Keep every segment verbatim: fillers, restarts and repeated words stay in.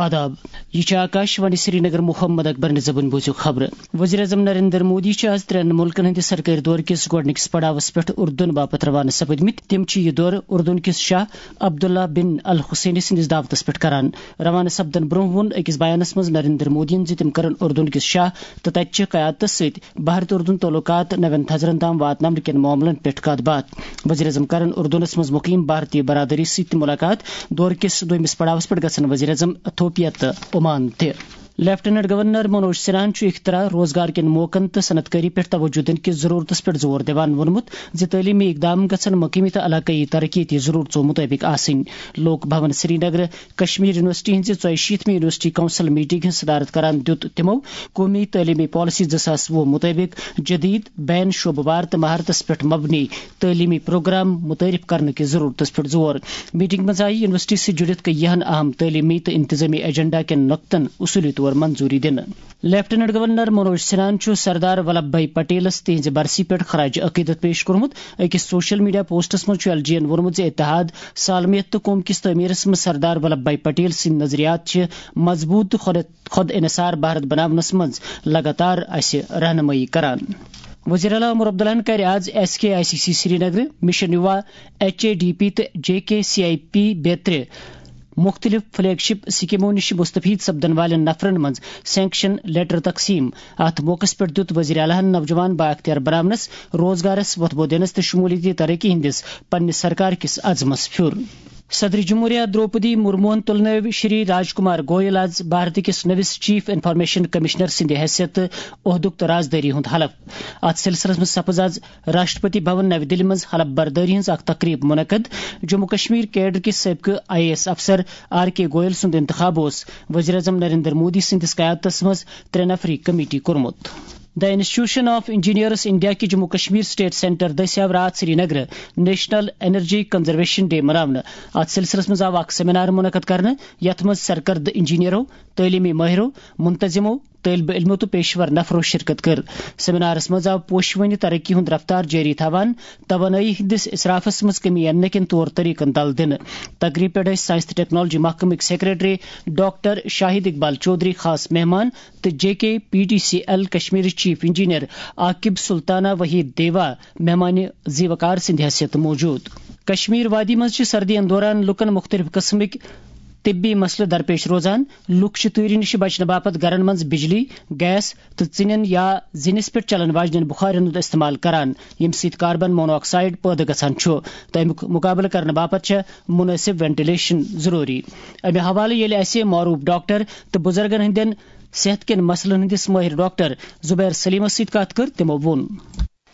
آداب، یہِ چھِ آکاش وانی سرینگر۔ محمد اکبر نظبن بوٗزِو خبرٕ۔ وزیر اعظم نریندر مودی چھِ آز ترٛٮ۪ن مُلکن ہٕنٛدِ سرکٲرۍ دورٕ کِس گۄڈٕنِکِس پڑاوس پٮ۪ٹھ اردن باپتھ روانہٕ سپٕدمٕتۍ۔ تِم چھِ یہِ دورٕ اردن کِس شاہ عبداللہ بن الحسینی سٕنٛدِس دعوتس پٮ۪ٹھ کران۔ روانہٕ سپدن برٛونٛہہ ووٚن أکِس بیانس منٛز نریندر مودیَن زِ تِم کرن اردن کِس شاہ تہٕ تتہِ چہِ قیادتس سۭتۍ بھارت اردن تعلقات نوٮ۪ن تھزرن تام واتناونہٕ کٮ۪ن معاملن پٮ۪ٹھ کتھ باتھ۔ وزیر اعظم کرن اردنس منٛز مقیم بھارتی برادری سۭتۍ تہِ ملاقات۔ دورٕ کِس دوٚیمِس پڑاوس پٮ۪ٹھ گژھن وزیر اعظم ایتھوپیا تہٕ عمان تہِ۔ لیفٹیننٹ گورنر منوج سنہاہن چھُ اختراع، روزگار کٮ۪ن موقعن تہٕ صنعت کٲری پٮ۪ٹھ توجہ دِنہٕ کِس ضروٗرتس پٮ۪ٹھ زور دِوان ووٚنمُت زِ تعلیمی اقدام گژھن مقٲمی تہٕ علاقٲیی ترقیتی ضروٗرژو مُطٲبِق آسٕنۍ۔ لوک بھون سرینگر کشمیر یونیورسٹی ہٕنٛزِ ژۄیہِ شیٖتمہِ یونیورسٹی کونسل میٹنگ ہٕنٛز صدارت کران دیُت تِمو قومی تعلیمی پالیسی زٕ ساس وُہ مُطٲبِق جدید، بین شعبہٕ وار تہٕ مہارتس پٮ۪ٹھ مبنی تعلیمی پروگرام متعارف کرنہٕ کِس ضروٗرتس پٮ۪ٹھ زور۔ میٹنگ منٛز آیہِ یونیورسٹی سۭتۍ جُڑِتھ کینٛہَن اہم تعلیمی تہٕ انتظامی ایجنڈا کٮ۪ن نۄقطن اصوٗلی طور منظوٗری دِنہٕ۔ لیفٹیننٹ گورنر منوج سنہاہن چھُ سردار ولبھ بھائی پٹیلس تِہنٛزِ برسی پٮ۪ٹھ خراج عقیدت پیش کوٚرمُت۔ أکِس سوشل میڈیا پوسٹس منٛز چھُ ایل جی یَن ووٚنمُت زِ اتحاد، سالمیت تہٕ قوم کِس تعمیرس منٛز سردار ولبھ بھائی پٹیل سٕنٛدۍ نظریات چھِ مضبوٗط تہٕ خۄد، خۄد انحصار بھارت بناونس منٛز لگاتار اسہِ رہنمٲیی کران۔ وزیر اعلیٰ عمر عبداللہن کرِ آز S K I C C Srinagar, mission Yuva, H A D P تہٕ J K C I P بیترِ مُختٔلِف فلیگ شپ سکیمو نِش مستفید سپدن والٮ۪ن نفرن منٛز سینکشن لیٹر تقسیم۔ اتھ موقعس پٮ۪ٹھ دیُت وزیر اعلیٰ ہن نوجوان بااختیار بناونس، روزگارس وۄتھٕ بو دِنس تہٕ شمولیتی ترقی ہٕنٛدِس پننِس سرکار کِس عزمس پھیُر۔ صدر جمہوریہ دروپدی مرموہن تُلنٲوۍ شری راج کمار گوئل آز بھارت کِس نٔوِس چیف انفارمیشن کمشنر سٕنٛدِ حیثیت عہدُک تہٕ رازدٲری ہُنٛد حلف۔ اتھ سلسلس منٛز سپٕز آز راشٹرپتی بھون نَوِ دِلہِ منٛز حلف بردٲری ہٕنٛز اکھ تقریب منعقد۔ جموں کشمیر کیڈر کِس سٲبقہٕ آئی اے ایس افسر آر کے گوئل سُنٛد انتخاب اوس وزیر اعظم نریندر مودی سٕنٛدِس قیادتس منٛز ترٛےٚ نفری کمیٹی کوٚرمُت۔ The Institution of Engineers India کہِ جموں کشمیر سٹیٹ سینٹر دٔسۍ آو راتھ سرینگرٕ نیشنل انرجی کنزرویشن ڈے مناونہٕ۔ اتھ سلسلس منٛز آو اکھ سیمینار منعقد کرنہٕ، یتھ منٛز سرکردٕ انجینئرو، تعلیمی مٲہرو، منتظمو، طٲلبہِ علمو تہٕ پیشور نفرو شرکت کٔر۔ سیمینارس منٛز آو پوشوٕنہِ ترقی ہُنٛد رفتار جٲری تھاوان توانٲیی ہٕنٛدِس اصرافس منٛز کمی اننہٕ کٮ۪ن طور طریقن تل دِنہٕ۔ تقریب پٮ۪ٹھ ٲسۍ ساینس تہٕ ٹیکنالوجی محکمٕکۍ سیکرٹری ڈاکٹر شاہد اقبال چودھری خاص مہمان تہٕ J K P T C L کشمیرٕچ چیف انجینئر عاقب سلطانہ وحید دیوا مہمان زیوکار سٕنٛدِ حیثیت موجود۔ کشمیر وادی منٛز چھِ سردی ہٕنٛدِ دوران لوٗکَن مُختٔلِف قٕسمٕکۍ طبی مسلہٕ درپیش روزان۔ لوٗکھ چھِ تۭرِ نِش بچنہٕ باپتھ گرن منٛز بجلی، گیس تہٕ ژِنٮ۪ن یا زِنِس پٮ۪ٹھ چلن واجنٮ۪ن بخارن ہُنٛد استعمال کران، ییٚمہِ سۭتۍ کاربن مونوآکسائیڈ پٲدٕ گژھان چھُ، تہٕ اَمیُک مُقابلہٕ کرنہٕ باپتھ چھےٚ مناسب وینٹیلیشن ضروٗری۔ اَمہِ حوالہٕ ییٚلہِ اَسہِ معروٗف ڈاکٹر تہٕ بُزرگن ہٕنٛدٮ۪ن صحت کٮ۪ن مسلن ہٕنٛدِس مٲہِر ڈاکٹر زبیر سلیمس سۭتۍ کتھ کٔر، تِمو ووٚن۔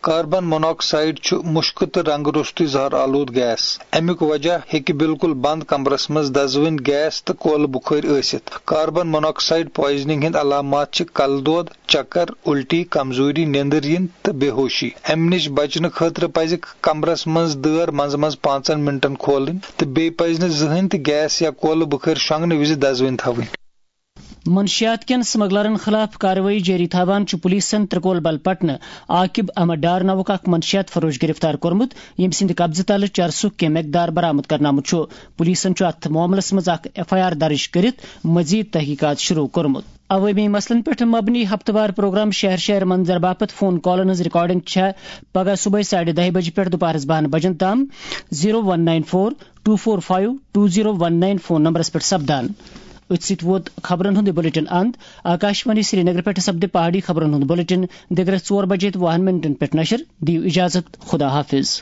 کاربن موناکسائیڈ چھُ مُشکہٕ تہٕ رنٛگہٕ روٚستُے زہر آلود گیس۔ اَمیُک وجہ ہیٚکہِ بالکل بنٛد کمرس منٛز دزوٕنۍ گیس تہٕ کولہٕ بُخٲرۍ ٲسِتھ۔ کاربن موناکسائیڈ پوائزننگ ہٕنٛدۍ علامات چھِ کلہٕ دود، چکر، الٹی، کمزوری، نیندٕر یِنۍ تہٕ بے ہوشی۔ اَمہِ نِش بچنہٕ خٲطرٕ پزِ کمرس منٛز دٲر منٛزٕ منٛزٕ پانٛژن منٹن کھولٕنۍ تہٕ بیٚیہِ پزِ نہٕ زٕہٕنۍ تہِ گیس یا کولہٕ بُخٲرۍ شۄنٛگنہٕ وِزِ دزوٕنۍ تھاوٕنۍ۔ منشیات کٮ۪ن سمگلرن خلاف کاروٲیی جٲری تھاوان چھُ پولیسن ترکول بل پٹنہٕ عاقب احمد ڈار ناوُک اکھ منشیات فروش گرفتار کوٚرمُت، ییٚمہِ سٕنٛدِ قبضہٕ تلہٕ چرسُک کینٛہہ مقدار برآمد کرنہٕ آمُت چھُ۔ پولیسن چھُ اتھ معاملس منٛز اکھ ایف آئی آر درج کٔرِتھ مزید تحقیقات شروع کوٚرمُت۔ عوٲمی مسلن پٮ۪ٹھ مبنی ہفتہٕ وار پروگرام شہر شہر منظر باپتھ فون کالن ہٕنٛز ریکارڈنگ چھےٚ پگہہ صبحٲے ساڑِ دَہہِ بجہِ پٮ۪ٹھ دُپہرس بَہَن بجن تام zero one nine four two four five two zero one nine phone نمبرس پٮ۪ٹھ سپدان۔ أتھۍ سۭتۍ ووت خبرن ہُنٛد یہِ بلیٹن اند۔ آکاشوانی سرینگر پٮ۪ٹھ سپدِ پہاڑی خبرن ہُنٛد بلیٹن دِگرس ژور بجے تہٕ وُہن منٹن پٮ۪ٹھ نشر۔ دِیِو اجازت، خدا حافظ۔